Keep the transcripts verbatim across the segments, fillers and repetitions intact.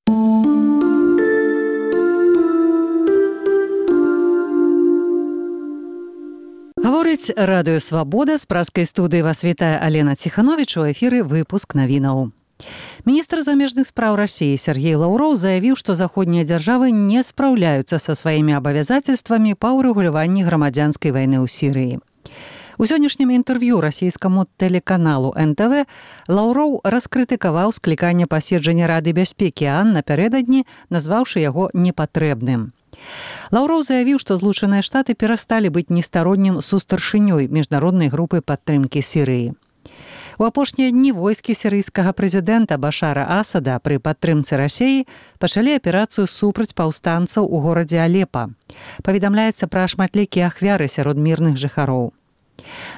Гаворыць радыё «Свабода», з праскай студыі вас вітае Алена Ціхановіч, у эфіры выпуск навінаў. Міністр замежных спраў России Сергей Лаўроў заявіў, што заходнія дзяржавы не спраўляюцца са сваімі абавязательствамі па ўрэгуляванні грамадзянскай вайны ў Сірыі. У сённяшнім інтэрв'ю расійскаму тэлеканалу эн тэ вэ Лаўроў раскрытыкаваў скліканне паседжання Рады бяспекі ААН напярэдадні, назваўшы яго непатрэбным. Лаўроў заявіў, што Злучаныя Штаты перасталі быць нестароннім сустаршынёй міжнароднай групы падтрымкі Сірыі. У апошнія дні войскі сірыйскага прэзідэнта Башара Асада пры падтрымцы Расіі пачалі аперацыю супраць паўстанцаў у горадзе Алепа. Паведамляецца пра шматлікія ахвяры сярод мірных жыхароў.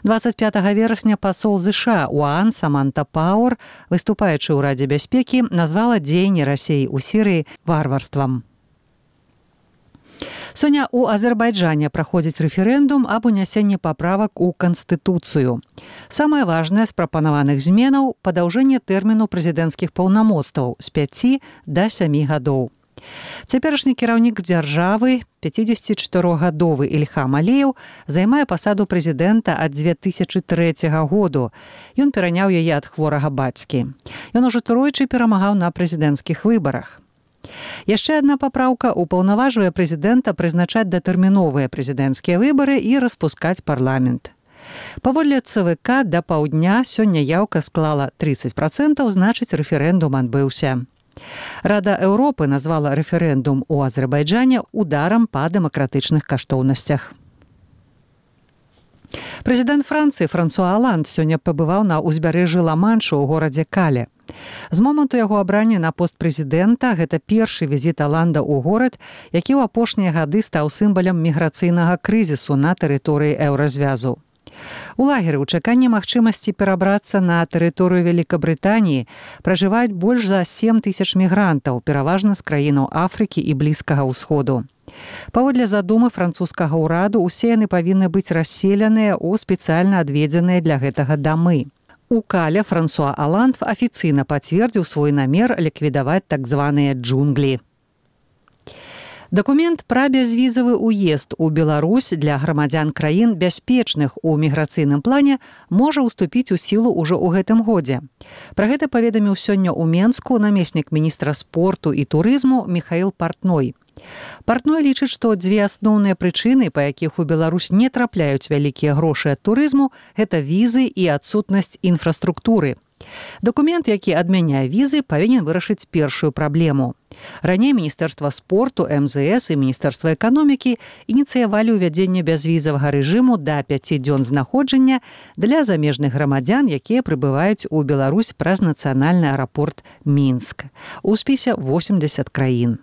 дваццаць пятага верасня пасол ЗША ў ААН Саманта Пауэр, выступаючы ў Радзе бяспекі, назвала дзеянні Расіі ў Сірыі варварствам. Сёння ў Азербайджане праходзіць рэферэндум аб унясенні паправак у Канстытуцыю. Самае важнае з прапанаваных зменаў – падаўжэнне тэрміну прэзідэнцкіх паўнамоцтваў з пяці да сямі гадоў. Цяперашні кіраўнік дзяржавы, пяцідзесятычатырохгадовы Ільхам Аліеў, займае пасаду прэзідэнта ад дзве тысячы трэцяга году. Ён пераняў яе ад хворага бацькі. Ён ужо тройчы перамагаў на прэзідэнцкіх выбарах. Яшчэ адна папраўка ўпаўнаважвае прэзідэнта прызначаць датэрміновыя прэзідэнцкія выбары і распускаць парламент. Паводле ЦВК да паўдня сёння яўка склала трыццаць працэнтаў, значыць рэферэндум адбыўся. Рада Еўропы назвала рэферэндум у Азербайджане ударам па дэмакратычных каштоўнасцях. Прэзідэнт Францыі Франсуа Оланд сёння пабываў на ўзбярэжжы Ла-Маншу ў горадзе Кале. З моманту яго абрання на пост прэзідэнта гэта першы візіт Оланда ў горад, які ў апошнія гады стаў сімвалам міграцыйнага крызісу на тэрыторыі еўразвязу. У лагеры ў чаканні магчымасці перабрацца на тэрыторыю Вялікабрытаніі пражываюць больш за сем тысяч мігрантаў, пераважна з краінаў Афрыкі і Блізкага ўсходу. Паводле задумы французскага ўраду, усе яны павінны быць расселеныя ў спецыяльна адведзеныя для гэтага дамы. У Кале Франсуа Оланд афіцыйна пацвердзіў свой намер ліквідаваць так званыя джунглі. Дакумент пра бязвізавы ўезд у Беларусь для грамадзян краін, бяспечных у міграцыйным плане, можа ўступіць у сілу ўжо ў гэтым годзе. Пра гэта паведаміў сёння ў Менску намеснік міністра спорту і турызму Міхаіл Партной. Партной лічыць, што дзве асноўныя прычыны, па якіх у Беларусь не трапляюць вялікія грошы ад турызму, гэта візы і адсутнасць інфраструктуры. Дакумент, які адмяняе візы, павінен вырашыць першую праблему. Раней Міністэрства спорту, эм зэ эс і Міністэрства эканомікі ініцыявалі ўвядзенне бязвізавага рэжыму да пяці дзён знаходжання для замежных грамадзян, якія прыбываюць у Беларусь праз нацыянальны аэрапорт Мінск. У спісе восемдзесят краін.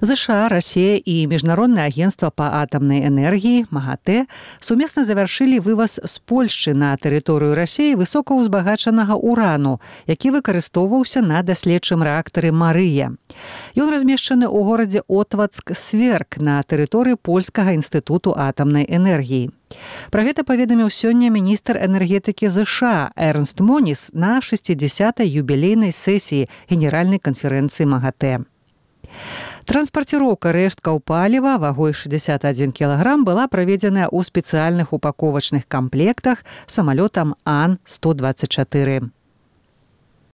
ЗША, Расія і Міжнароднае агенцтва па атамнай энергіі МАГАТЭ сумесна завяршылі вываз з Польшчы на тэрыторыю Расіі высокаўзбагачанага урану, які выкарыстоўваўся на даследчым рэактары «Марыя». Ён размешчаны ў горадзе Отвацк-Сверк на тэрыторыі Польскага інстытуту атамнай энергіі. Пра гэта паведаміў сёння міністр энергетыкі ЗША Эрнст Моніс на шэсцідзясятай юбілейнай сесіі Генеральнай канферэнцыі МАГАТЭ. Транспарціроўка рэшткаў паліва вагой шэсцьдзесят адзін кілаграм была праведзеная ў спецыяльных упаковачных камплектах самалётам Ан сто дваццаць чатыры.